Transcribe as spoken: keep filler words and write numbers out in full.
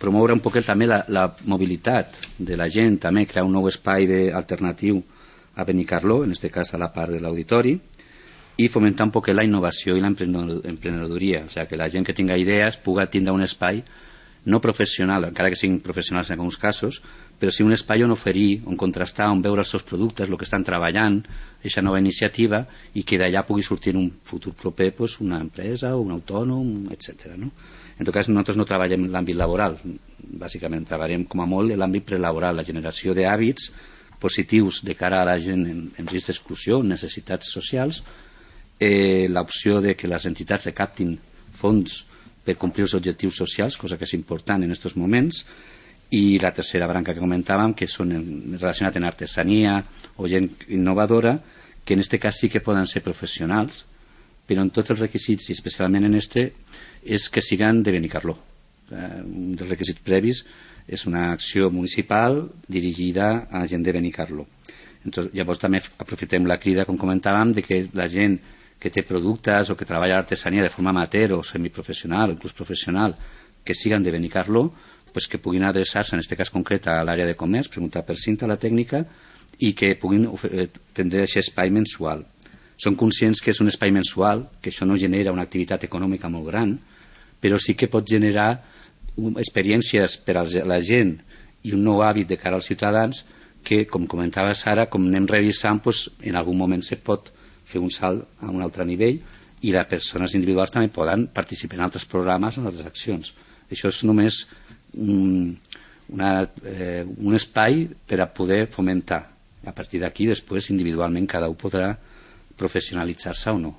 promoure un poquet també la, la mobilitat de la gent, també crear un nou espai de, alternatiu a Benicarló, en aquest cas a la part de l'auditori, i fomentar un poquet la innovació i l'emprenedoria, o sigui, que la gent que tinga idees pugui tindre un espai no professional, encara que siguin professionals en alguns casos, però sí un espai on oferir, on contrastar, on veure els seus productes, el que estan treballant, aquesta nova iniciativa, i que d'allà pugui sortir en un futur proper pues, una empresa o un autònom, etcètera. No? En tot cas, nosaltres no treballem en l'àmbit laboral, bàsicament treballem com a molt en l'àmbit prelaboral, la generació d'hàbits positius de cara a la gent en, en risc d'exclusió, necessitats socials, eh, l'opció de que les entitats recaptin fons per complir els objectius socials, cosa que és important en aquests moments, i la tercera branca que comentàvem, que són relacionat amb artesania o gent innovadora, que en aquest cas sí que poden ser professionals, però en tots els requisits, i especialment en este, és que siguen de Benicarló. Un dels requisits previs és una acció municipal dirigida a gent de Benicarló. Entonces, llavors també aprofitem la crida, com comentàvem, de que la gent que té productes o que treballa l'artesania de forma amateur o semiprofessional o inclús professional que siguen de Benicarló, pues que puguin adreçar-se, en aquest cas concret, a l'àrea de comerç, preguntar per cinta a la tècnica i que puguin tindre aquest espai mensual. Són conscients que és un espai mensual, que això no genera una activitat econòmica molt gran, però sí que pot generar experiències per a la gent i un nou hàbit de cara als ciutadans que, com comentava Sara, com anem revisant, pues, en algun moment se pot fer un salt a un altre nivell i les persones individuals també poden participar en altres programes o en altres accions. Això és només un, una, eh, un espai per a poder fomentar. A partir d'aquí, després, individualment, cada un podrà professionalitzar-se o no.